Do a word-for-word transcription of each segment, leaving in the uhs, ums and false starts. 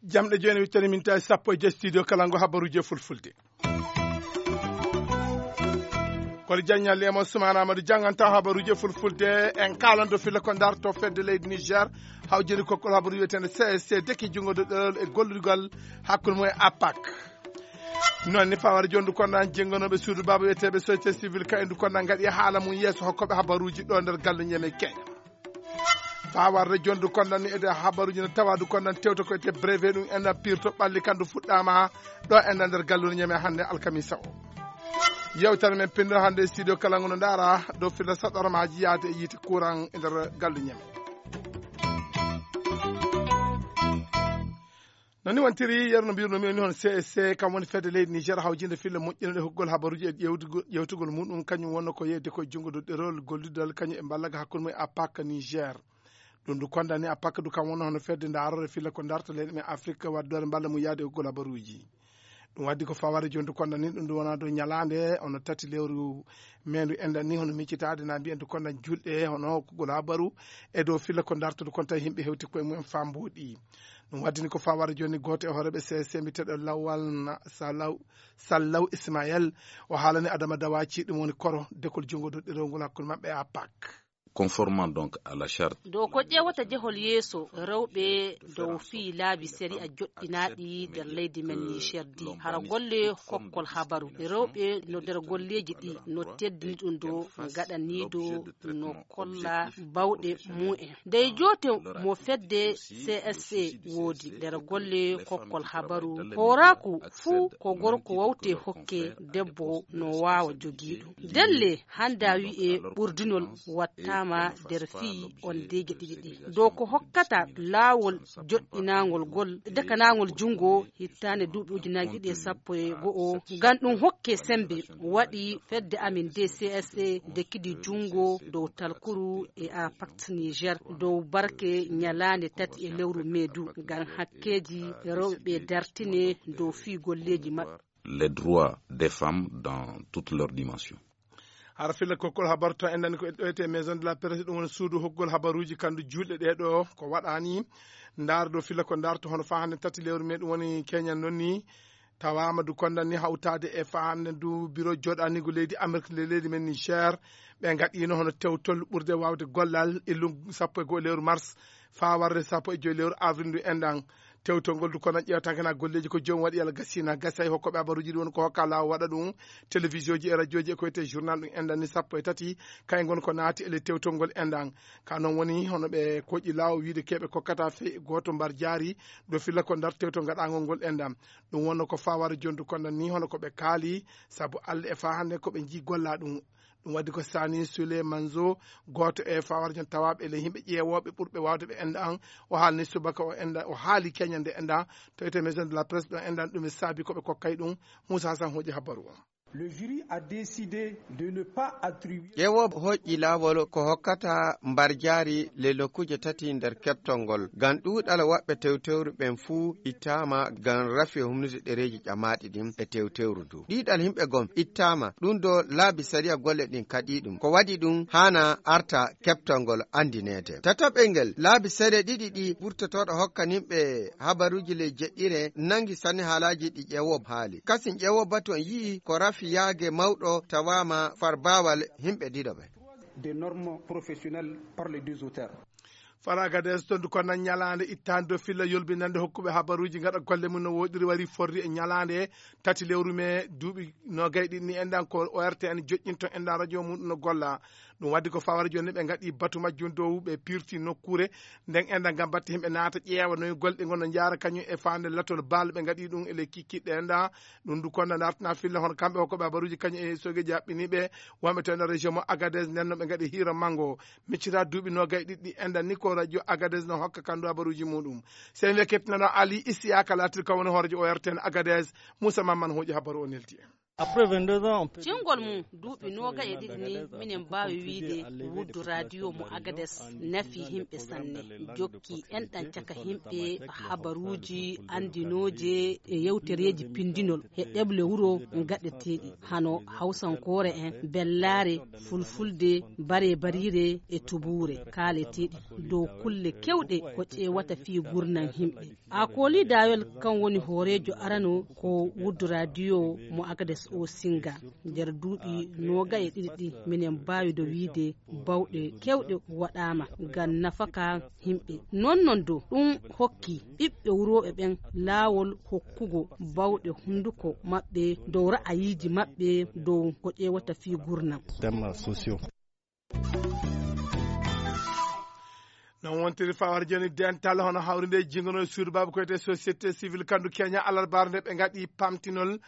Jamɗe jooni wittani min tawi sappo e joy studio kala ngo habaruuji e fulfulde. Koli Diagne Lemo Soumana Amadou jannganta habaruuji e fulfulde. En kaalando filla ko darto fedde leydi Niger hawjini kokkol habaru wiyeteende C S C deki junngo ɗerol e gollirgal hakkunde mum e apak. Noon ni fawara jondu konda jennganooɓe suudu baaba wiyeteeɓe société civile ka endu konda ngaɗi haala mum yeeso hokkoɓe habaruuji ɗo nder galle ñeme Kenya. Faa warde jondu konda ni ede habaruuji no tawa du konda tewta ko ete breve ɗum enda pirto ɓalli kandu fuɗɗama ɗo enda nder gallure ñeme hannde alkamisa o. Yewtere men pinndo hannde e studio kala ngo no ndaara dow filla saɗormaaji yaade e yiite courant e nder gallu ñeme. No ni wontiri yeru no mbirno mi woni hono C S C kam woni fedde leydi Niger hawjinde filla moƴƴinande huggol habaruuji e ƴewtugol ƴewtugol muɗum kañum wonno ko yeyde koye junngo do ɗerol gollidal kañum e mballaga hakkunde mum e apak Niger. Ɗum du kondani apak du kam wonno hono fedde ndaarore filla ko darta leyɗe men Afrique waddore mballa mum yaade huggol habaruuji. Ɗum waddi ko faware jondu kondani ɗum du wona do ñalaande ono tati lewru mendu enɗan ni hono miccitaade na mbiyen du kondan julɗe hono huggol habaru e dow filla ko darta du konta yimɓe hewti koye mumen fambuɗi. Ɗum waddini ko fawara joni gooto e hooreeɓe C S C mbiyeteeɗo Lawal na Salaw Sallaw Ismael. O haalani Adama Dawaci ɗum woni koro dekol junngo doɗɗirowngol hakkunde maɓɓe e apak. Conformant donc à la charte. Dow ko ƴeewata jehol yeeso rewɓe dow fii laabi sariya joɗɗinaaɗi nder leydi men Niger di hara golle kokkol habaru rewɓe no nder golleeji ɗi no teddini ɗum dow gaɗaniido no kolla bawɗe mumen. Dey joote mo fedde C S C woodi nder golle kokkol habaru. Hooraaku fuu ko gorko wawte hokke debbo no waawa jogiiɗo. Delle hannda wi'e ɓurdinol wattaama nder fii on deeje ɗiɗi ɗi. Dow ko hokkata laawol joɗɗinaangol gol, dekanaangol junngo hittaande duuɓi ujunaaji ɗiɗi e sappo e go'o. Ngam ɗum hokke sembe waɗi fedde amin D C S A dekidi junngo dow talkuru e Apact Niger dow barke ñalaande tati e lewru mee du ngam hakkeeji rewɓe dartine dow fii golleeji maɓɓe. Les droits des femmes dans toutes leurs dimensions. Hara filla kokkol habaru to enɗan ko ɗoyte maison de la presse ɗum woni suudu hokkugol habaruuji kandu juulɗe ɗee ɗo ko waɗani ndaar ɗo filla ko ndaar to hono faa hannde tati lewru mee ɗum woni keñan noon ni. Tawaama du kondan ni hawtaade e faa hannde du biro joɗanigo leydi Amérique le leydi men Niger ɓe ngaɗino hono tewtol ɓurde waawde gollal illu sappo e goo lewru mars faa warde sappo e joy lewru avril ndu enɗan. Tewtol ngol du kono ƴeewtankena golleeji ko joom waɗi yalla gasina gasi hay hokkoɓe habaruuji ɗi woni ko hokka laawo waɗa ɗum. Télévision ji e radio ji e ko wiyetee journal ɗum enɗan ni sappo e tati kay ngon ko naati ele tewtol ngol enɗan. Ka noon woni hono ɓe koƴi laawo wiide keɓe kokkata fey gooto mbar jaari ɗo filla ko ndar tewtol ngaɗangol ngol enɗan. Ɗum wonno ko fawara jondu kondan ni hono ko ɓe kaali sabu Allah e faa hannde ko ɓe njii golla ɗum. Ɗum waddi ko Sani Sule Manzo gooto e fawara jon tawaaɓe ele yimɓe ƴeewooɓe ɓurɓe waawde ɓe enɗan. O haalni subaka o enɗan o haali keñande enɗan to ete maison de la presse ɗo enɗan ɗum e saabi ko ɓe kokkay ɗum. Moussa Hassan hooƴi habaru o. Le jury a décidé de ne pas attribuer. Ƴeewooɓe hoƴƴi laawol ko hokkata mbarjaari le nokkuuje tati nder keɓtol ngol ngam ɗuuɗal waɗɓe tewtewru ɓen fuu ittaama ngam rafi e humnude ɗereeji ƴamaaɗi ɗin e tewtewru du. Ɗiiɗal yimɓe gom ittaama ɗum do laabi sariya golle ɗin kaɗii ɗum. Ko waɗi ɗum haana arta keɓtol ngol anndineede. Tataɓel ngel laabi seeɗa ɗiɗi ɗi ɓurtotooɗo hokkanimɓe habaruuji ley jeɗɗire nangi sanne haalaaji ɗi ƴeewooɓe haali. Kasin ƴeewooɓe batu on yi'i ko rafi yaage mawɗo tawaama far baawal yimɓe ɗiɗo ɓe. Des normes professionnelles par les deux auteurs. Fara Agadez tondu kono ñalaande ittaande dow filla yolbinande hokkuɓe habaruuji ngaɗa golle mum no woɗiri wari forri e ñalaande tati lewru mee duuɓi noogay ɗiɗi ni enɗan ko O R T N joƴƴinto enɗan radio mum no golla. Ɗum waddi ko fawara jooni ɓe ngaɗi batu majjum dow ɓe pirti nokkuure nden enɗan ngam batte himɓe naata ƴeewa noy golɗe ngon no njaara kañum e faande latol baal ɓe ngaɗi ɗum e lekki kiɗɗe enɗan. Ɗum du konda dartana filla hono kamɓe hokkoɓe habaruuji kañum e sogeji haɓɓiniɓe wonɓe to enɗan région mo Agadez nden no ɓe ngaɗi hiira mango. Miccita duuɓi noogay ɗiɗɗi enɗan ni ko radio Agadez no hokka kandu habaruuji muɗum. Sey wiya kettinano Ali Isiyaka latir kam woni hoorejo O R T N Agadez. Moussa Mamman hooƴi habaru o neldi en. Après vingt-deux ans, on peut Cingol mum duuɓi noogay e ɗiɗi ni, minen mbaawi wiyde wuddu radio mo Agades nafi yimɓe sanne. Jokki enɗan caka yimɓe habaruuji anndinooje e yewtereeji pinndinol e ɗeɓle wuro gaɗeteeɗi, hano Hawsankoore en, Bellaare, Fulfulde, Bare-bariire e Tubuure kaaleteeɗi dow kulle kewɗe ko ƴeewata fii gurnam yimɓe. Akoli Dawel kan woni hooreejo arano ko wuddu radio mo Agades o Singa. Nder duuɓi noogay e ɗiɗi ɗi, minen mbaawi do wiide bawɗe kewɗe waɗaama ngam nafaka yimɓe. Non non do ɗum hokki ɓiɓɓe wurooɓe ɓen laawol hokkugo bawɗe hunduko maɓɓe dow ra'ayiiji maɓɓe dow ko ƴeewata fii gurnam. Thèmes sociaux. Non wontiri fawar joni dental hono hawrinde e jingono suudu baaba koyte société civile kandu Kenya alarbaare nde ɓe ngaɗi pamtinol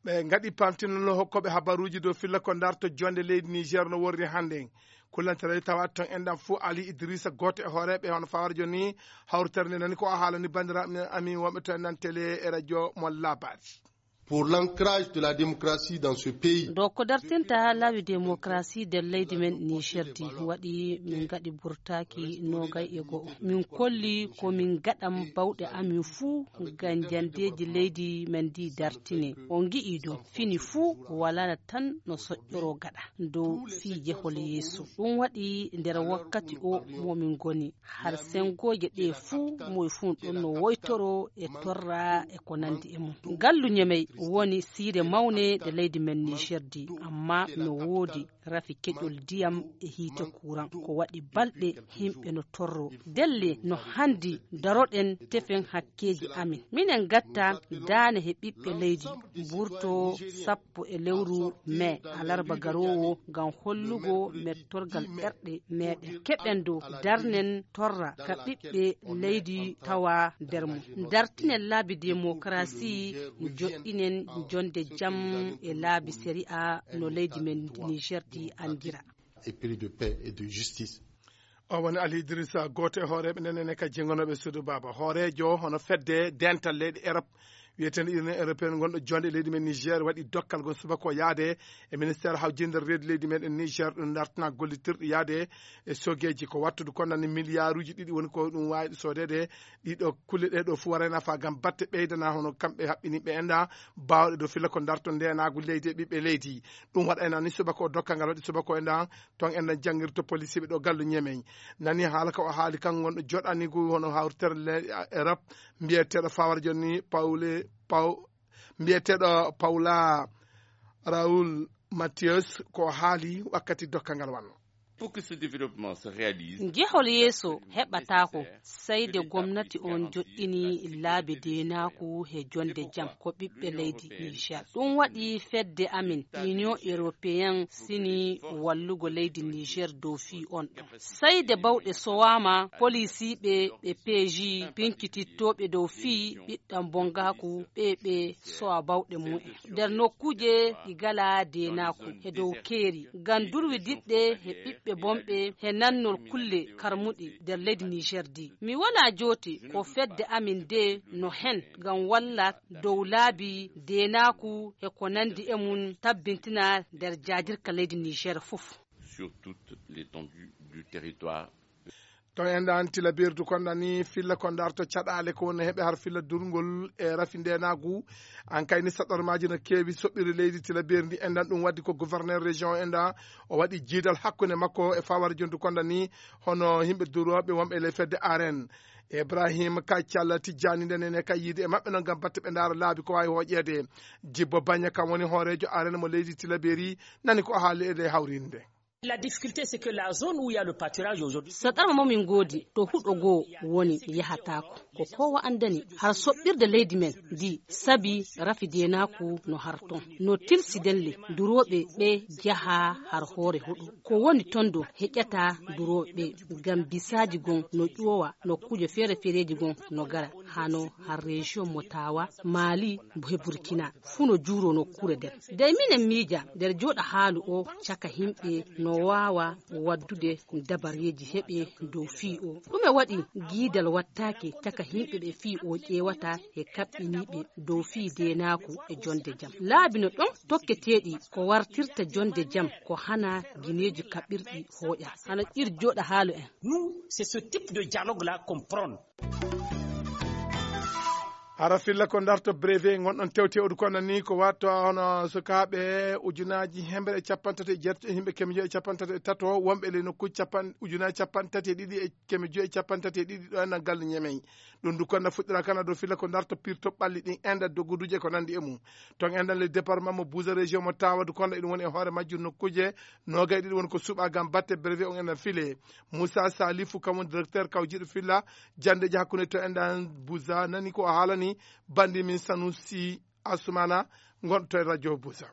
ɓe ngaɗi pamtinol hokkooɓe habaruuji dow filla ko darto jonde leydi Niger no worri hannde. Kullantare tawa ton enɗam fuu Ali Idrissa gooto e hooreeɓe hono fawar joni hawritere nde nani ko o haalani banndiraaɓe men amin wonɓe to enɗam télé e radio mo labas. Pour l'ancrage de la démocratie dans ce pays. Dow ko dartinta laawi démocratie nder leydi men Niger di waɗi min ngaɗi burtaaki noogay e go'o. Min kolli ko min ngaɗan bawɗe amin fuu ngam jandeeji leydi men ndi dartine. On ngi'i do fini fuu walana tan no soƴƴoro gaɗa dow fii jehol yeeso. Ɗum waɗi nder wakkati o mo min ngoni. Har sengooje ɗe fuu moy fuu ɗon no woytoro e torra e ko nandi e mum. Ngallu Ñemey woni siire mawne nde leydi men Niger di, amma no woodi rafi keƴol ndiyam e hiite kuran. Ko waɗi balɗe yimɓe no torro. Delle no handi daroɗen tefen hakkeeji amin. Minen gatta daane he ɓiɓɓe leydi, mburto sappo e lewru mee, alarba garoowo, ngam hollugo mettorgal ɓerɗe meɗen. Keɓen dow darnen torra ka ɓiɓɓe leydi tawa nder mum. Dartinen laabi demokarasi, joɗɗinen jonde jam e laabi sari'a no leydi men Niger di andira. Épris de paix et de justice. O woni Ali Idrissa, gooto e hooreeɓe nden ene ka jengonooɓe suudu baaba. Hooreejo hono fedde dental leyɗe Erop, wiyeteende Union Européenne, ngonɗo jonde leydi men Niger, waɗi dokkal ngon subaka o yaade e ministère hawjinde reedu leydi meɗen Niger, ɗum dartina gollitirɗi yaade e sogeeji ko wattude konnani miliyaaruuji ɗiɗi woni ko ɗum waawi soodede. Ɗiɗo kulle ɗe ɗo fuu waray nafa ngam batte ɓeydana hono kamɓe haɓɓiniɓe enda baawɗe dow filla ko darto ndenaagu leydi e ɓiɓɓe leydi. Ɗum waɗayna ni subaka o dokkal ngal waɗi subaka o enda ton enda janngirto policiɓe ɗo gallu Ñemey. Nani haala ka o haali kan ngonɗo joɗanigu hono hawritere le Europe mbiyeteeɗo fawar joni Pawle Paw mbiyeteeɗo Paula Raoul Mathias ko o haali wakkati dokkal ngal wanno. Pour que ce développement se réalise, njehol yeeso heɓataako sey de gomnati on joɗɗini laabi deenaaku he jonde jam ko ɓiɓɓe leydi Niger. Ɗum waɗi fedde amin Union Européenne sini wallugo leydi Niger dow fii on ɗon. Sey de bawɗe sowaama, polisiiɓe ɓe peeji pinkitittooɓe dow fii ɓiɗɗam bongaaku ɓe ɓe sowa bawɗe mumen. Nder nokkuuje ɗi galaa deenaaku he dow keeri, ngam durwi diɗɗe he ɓiɓɓe bonɓe he nannol kulle karmuɗi nder leydi Niger di. Mi walaa jooti ko fedde amin de no hen ngam walla dow laabi deenaaku e ko nandi e mum tabbintina nder jaajirka leydi Niger fof. Sur toute l'étendue du territoire. To en ɗan tila berdu kon ɗani filla ko darto caɗaale ko woni heɓe har filla durngol e rafi ndenaagu. An kayni saɗormaaji no keewi soɓɓiri leydi tila berdi en ɗan ɗum waddi ko gouverneur région en ɗan o waɗi jiidal hakkunde makko e fawar jondu kon ɗani hono yimɓe durooɓe wonɓe e ley fedde aren. Ibrahim Kaccalla Tijjani nden ene kay yiide e maɓɓe noon ngam batte ɓe ndaara laabi ko waawi hooƴeede. Jibbo Baña kam woni hooreejo aren mo leydi Tilaberi nani ko haali e ley hawrinde. La difficulté, c'est que la zone où il y a le pâturage aujourd'hui. Saɗarma mo min ngoodi to huɗo goo woni yahataako. Ko kowa anndani har soɓɓirde leydi men ndi sabi rafi deenaaku no har ton. No tilsi delle durooɓe ɓe jaha har hoore huɗo. Ko woni ton do heƴata durooɓe ɓe ngam bisaaji gon no ƴoowa nokkuuje feere-feereeji gon no gara hano har région mo Tawa, Mali, he Burkina. Fuu no juuro nokkuure nden. Dey minen miija nder jooɗa haalu o caka yimɓe no waawa waɗdude dabareeji heɓe dow fii o. Ɗume waɗi giidal wattaake caka yimɓe ɓe fii o ƴeewata e kaɓɓiniiɓe dow fii deenaaku e jonde jam? Laabi no ɗon tokketeeɗi ko wartirta jonde jam ko hana gineeji kaɓɓirɗi hooƴa. Hana ƴir jooɗa haalo en. Nous, c'est ce type de dialogue-là qu'on prône. Hara filla ko darto brevet ngonɗon tewte odu kono ni ko watto hono sukaaɓe ujunaaji hemɓe e capantato e jeetato e yimɓe keme joyi e capantato e tato wonɓe ley nokkuuji capan ujunaaji capantati e ɗiɗi e keme joyi e capantati e ɗiɗi ɗo enɗan galle ñemey. Ɗum du konna fuɗɗira kana dow filla ko darto pirto ɓalli ɗin enda doguduji e ko nandi e mum. Ton enɗan le département mo buusa région mo tawadu konɗo eɗum woni e hoore majjum nokkuuje nogay ɗiɗi woni ko suɓa gam batte brevet on enɗan file. Moussa Salifou kam woni directeur kawjiɗo filla jandeji hakkunde to enɗan buusa nani ko o haalani bandi min Sanusi Asumana gonɗo to e radio buusa.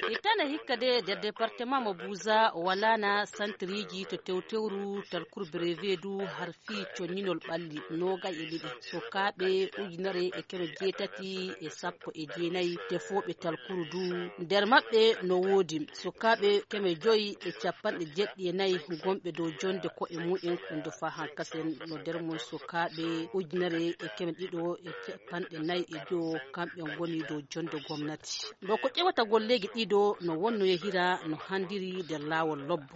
Ittana hikka de nder département mo buusa o walana santiriji to tewtewru talkur brevet du har fii conñinol ɓalli nogay e ɗiɗi sukaaɓe ujunere e keme jeetati e sappo e jeenayi tefooɓe talkuru du. Nder maɓɓe no woodi sukaaɓe keme joyi e capanɗe jeɗɗi e nayi gonɓe dow jonde ko'e mumen ɗum do faa hankasen no nder mum sukaaɓe ujunere e keme ɗiɗo e capanɗe nayi e jowo kamɓe ngoni dow jonde gomnati. Ɗo ko ƴewata golleeji ɗiɗo no wonno yehira no handiri nder laawol lobbo.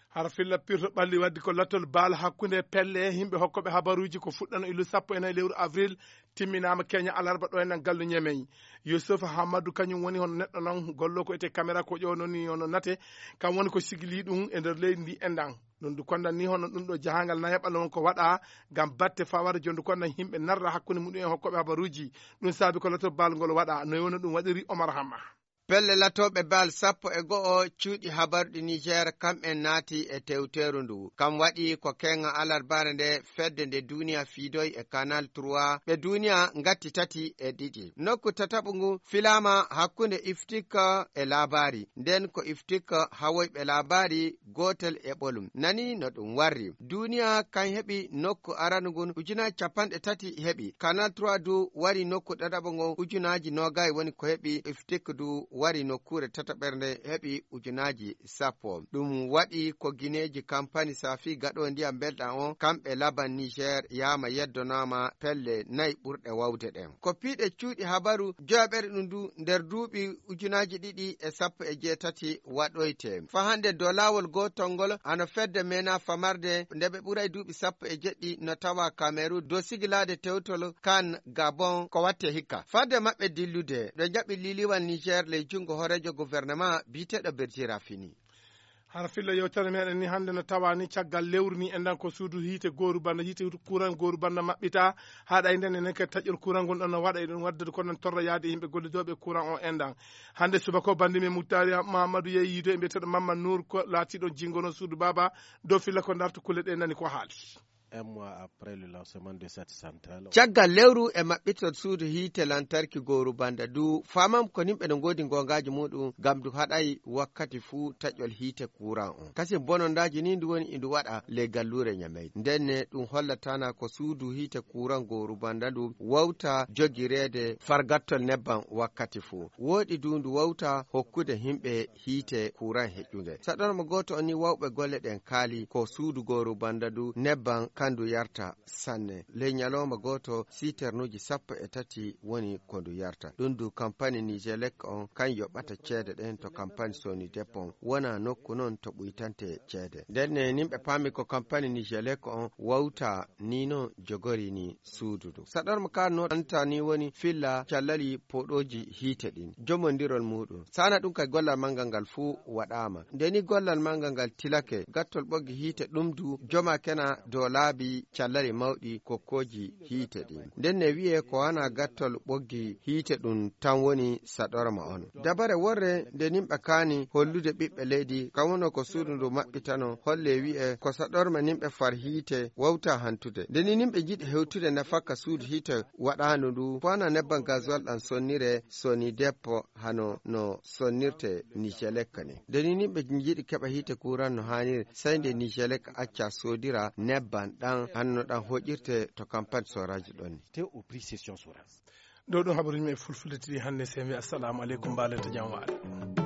Hara filla pirto ɓalli waddi ko lattol baal hakkunde pelle yimɓe hokkoɓe habaruji ko fuɗɗano illu sappo e nayi lewru avril timminama keña alarba ɗo enɗan gallu ñemey. Yusuf Hammadou kañum woni hono neɗɗo noon gollo ko ete caméra ko ƴewa noon ni hono nate kam woni ko sigili ɗum e nder leydi ndi enɗan. Ɗum du kondan ni hono ɗum ɗo jahangal nayaɓal on ko waɗa ngam batte fawade jondu kondan yimɓe narra hakkunde muɗum en hokkoɓe habaruji. Ɗum saabi ko lattol baal ngol waɗa no woni ɗum waɗiri Omar Hamma. Pelle latooɓe bal sappo e go'o cuuɗi habarɗi Niger kam'en naati e tewteeru ndu. Kam waɗi ko keeŋa alarbaare nde fedde nde duniya fiidoy e Canal trois ɓe duniya ngatti tati e ɗiɗi. Nokku tataɓu ngu filaama hakkunde Iftik e Labari. Nden ko Iftik hawoyɓe Labari gootel e ɓolum. Nani no ɗum warri. Duniya kan heɓi nokku aranu ngun ujunaaji capanɗe tati heɓi. Canal trois du wari nokku ɗaɗaɓo ngon ujunaaji noogay woni ko heɓi. Iftik du wari nokkuure tataɓerde heɓi ujunaaji sappo. Ɗum waɗi ko gineeji kampani safi gaɗo ndiyam belɗam on kamɓe laban Niger yaama yeddonaama pelle nayi ɓurɗe wawde ɗen. Ko piiɗe cuuɗi habaru joyaɓere ɗum du nder duuɓi ujunaaji ɗiɗi e sappo e jeetati waɗoyte. Fa hannde dow laawol gootol ngol hano fedde mena famarde nde ɓe ɓuray duuɓi sappo e jeɗɗi no tawa Kamerun dow sigilaade tewtol kan Gabon ko watte hikka. Fadde maɓɓe dillude ɓe jaɓi liiliwal Niger ley junngo hooreejo gouvernement biyeteeɗo Berjira Fini. Hara filla yewtere meɗen ni hannde no tawa ni caggal lewru ni enɗan ko suudu hiite gooru banda hiite kuran gooru banda maɓɓita. Haɗa e nden enen kadi taƴol kuran ngon ɗon no waɗa eɗen waddade ko non torra yaade yimɓe gollidooɓe kuran o enɗan. Hannde subaka o bandi men Muktari Mahamadou yeeyi yiido e mbiyeteeɗo Mamma Nour ko laatiɗo jingono suudu baaba dow filla ko darto kulle ɗe nani ko haali. Un mois après le lancement de cette centrale. Caggal lewru e maɓɓitol suudu hiite lantarki gooru banda du famam ko nimɓe no ngoodi ngongaaji muɗum ngam du haɗay wakkati fuu taƴol hiite kuran on. Kasin bonondaaji ni ndu woni indu waɗa ley galluure Ñamey. Ndenne ɗum hollatana ko suudu hiite kuran gooru banda ndu wawta jogireede fargattol nebban wakkati fuu. Wooɗi du ndu wawta hokkude himɓe hiite kuran heƴƴunge. Saɗorma gooto on ni wawɓe golle ɗen kaali ko suudu gooru banda ndu nebban kandu yarta sanne. Ley ñalawma gooto siternuuji sappo e tati woni ko ndu yarta. Ɗum du kampani Nijelek on kan yoɓata ceede ɗen to kampani Sonidep on wona nokku non to ɓuytante ceede. Ndenne nimɓe paami ko kampani Nijelek on wawta ni non jogori ni suudu ndu. Saɗorma ka no anta ni woni filla callali poɗooji hiite ɗin. Jomondirol muɗum. Sana ɗum kay gollal manngal ngal fuu waɗaama. Nde ni gollal manngal ngal tilake gattol ɓoggi hiite ɗum du joma kena dow laabi callali mawɗi kokkooji hiite ɗin. Nden ne wi'e ko hana gattol ɓoggi hiite ɗum tan woni saɗorma on. Dabare worre nde nimɓe kaani hollude ɓiɓɓe leydi kam wono ko suudu ndu maɓɓitano holle wi'e ko saɗorma nimɓe far hiite wawta hantude. Nde ni nimɓe njiɗi hewtude nafakka suudu hiite waɗaandu ndu ko hana nebban gasoil ɗan sonnire Sonidep hano no sonnirte Nijelek ni. Nde ni nimɓe njiɗi keɓa hiite kuran no haaniri sey nde Nijelek acca soodira nebban ɗan hano no ɗan hoƴirte to kampani soraji ɗon ni. Te au prix session soraji. Ɗo ɗum habaruji men e fulfulde tiri hannde sen wi assalamu aleykum mbalete jam waale.